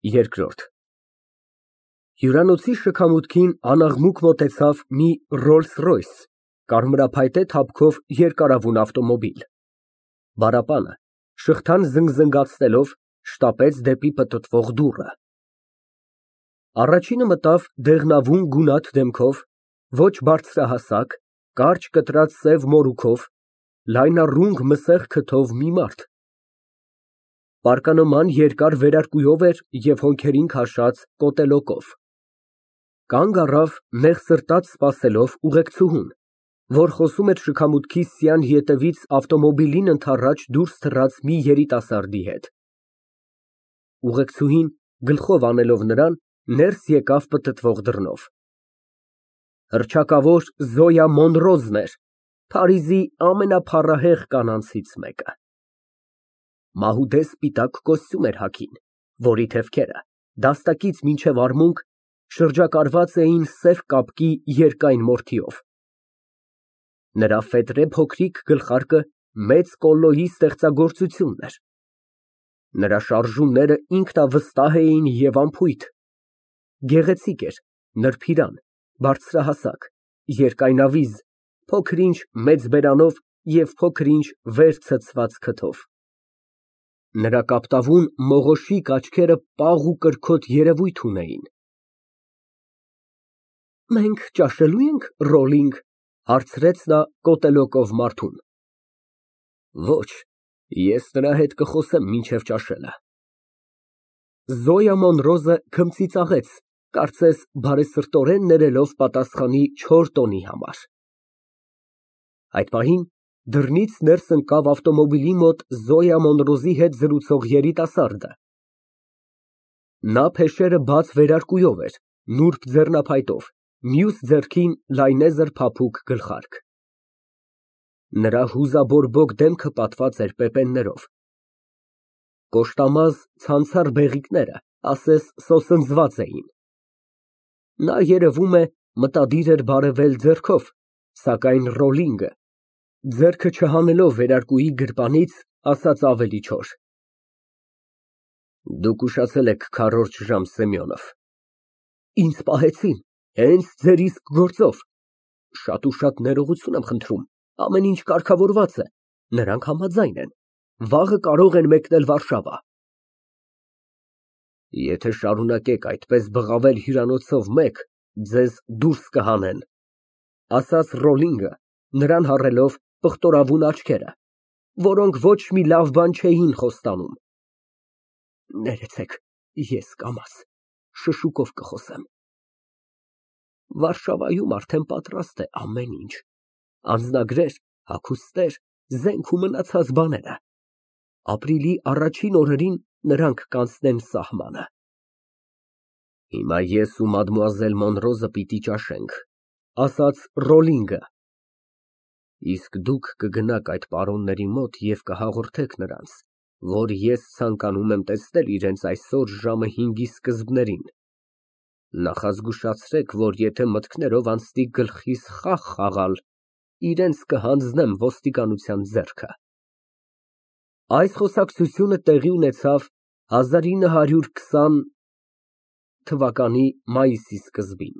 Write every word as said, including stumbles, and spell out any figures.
Երկրորդ Հյուրանոցի շքամուտքին անաղմուկ մոտեցավ մի Ռոլլս֊Ռոյս կարմրափայտե թափքով երկարավուն ավտոմոբիլ, բառապանը շղթան զնգզնգացնելով շտապեց դեպի պտտվող դուռը։ Առաջինը մտավ դեղնավուն գունատ դեմքով, ոչ բարձրահասակ, կարճ կտրած սև մորուքով, լայնառունգ մսեղ քթով մի մարդ, պարկանոման երկար վերարկուով էր և հոնքերին քաշած կոտելոկով, կանգ առավ նեղսրտած սպասելով ուղեկցուհուն, որ խոսում էր շքամուտքի սյան ետևից ավտոմոբիլին ընդառաջ դուրս թռած մի երիտասարդի հետ։ Ուղեկցուհին, գլխով անելով նրան, ներս եկավ պտտվող դռնով։ Հռչակավոր Զոյա Մոնրոզն էր, Փարիզի ամենափառահեղ կանանցից մեկը։ Մահուդե սպիտակ կոստյում էր հագին, որի թևքերը, դաստակից մինչև արմունկ, շրջակայված էին սև կապկի երկայն մորթիով։ Նրա ֆետրե փոքրիկ գլխարկը մեծ Կոլլոյի ստեղծագործությունն էր։ Նրա շարժումները ինքնավստահ էին և անփույթ, գեղեցիկ էր, նրբիրան, բարձրահասակ, երկայնավիզ, փոքր֊ինչ մեծ բերանով և փոքր֊ինչ վեր ցցված քթով։ Նրա կապտավուն մողոշիկ աչքերը պաղ ու կրքոտ երևույթ ունեին։ «Մենք ճաշելո՞ւ ենք, Ռոլինգ, ֊ հարցրեց նա կոտելոկով մարդուն։ ֊ Ոչ, ես նրա հետ կխոսեմ մինչև ճաշելը։ Զոյա Մոնրոզը քմծիծաղեց, կարծես բարեսրտորեն ներելով պատասխանի չոր տոնի համար։ Այդ պահին դռնից ներս ընկավ ավտոմոբիլի մոտ Զոյա Մոնրոզի հետ զրուցող երիտասարդը։ Նա փեշերը բաց վերարկուով էր, նուրբ ձեռնոցով, մյուս ձեռքին լայնեզր փափուկ գլխարկ։ Նրա հուզաբորբոք դեմքը պատված էր պեպեններով։ Կոշտամազ ցանցառ բեղիկները ասես սոսնձված էին։ Նա, երևում է, մտադիր էր բարևել ձեռքով, սակայն Ռոլլինգը, ձեռքը չհանելով վերարկուի գրպանից, ասաց ավելի չոր. Դուք ուշացել եք քառորդ ժամ, Սեմյոնով։ Ինձ պահեցին, հենց ձեր իսկ գործով։ Շատ ու շատ ներողություն եմ խնդրում, ամեն ինչ կարգավորված է, նրանք համաձայն են, վաղը կարող են մեկնել Վարշավա։ Եթե շարունակեք այդպես բղավել հյուրանոցով մեկ, ձեզ դուրս կհանեն, ասաց Ռոլլինգը, նրան հառելով պղտորավուն աչքերը, որոնք ոչ մի լավ բան չէին խոստանում։ Ներեցեք, ես կամաց, շշուկով կխոսեմ։ Վարշավայում արդեն պատրաստ է ամեն ինչ, անձնագրեր, հագուստներ, զենք ու մնացած բաները։ Ապրիլի առաջին օրերին նրանք կանցնեն սահմանը։ Հիմա ես ու մադմուազել Մոնրոզը պիտի ճաշենք, ասաց Ռոլլինգը։ Իսկ դուք կգնաք այդ պարոնների մոտ և կհաղորդեք նրանց, որ ես ցանկանում եմ տեսնել իրենց այսօր ժամը հինգի սկզբներին։ Նախազգուշացրեք, որ եթե մտքներով անցնի գլխիս խաղ խաղալ, իրենց կհանձնեմ ոստիկանության ձեռքը։ Այս խոսակցությունը տեղի ունեցավ հազար ինը հարյուր քսան թվականի մայիսի սկզբին։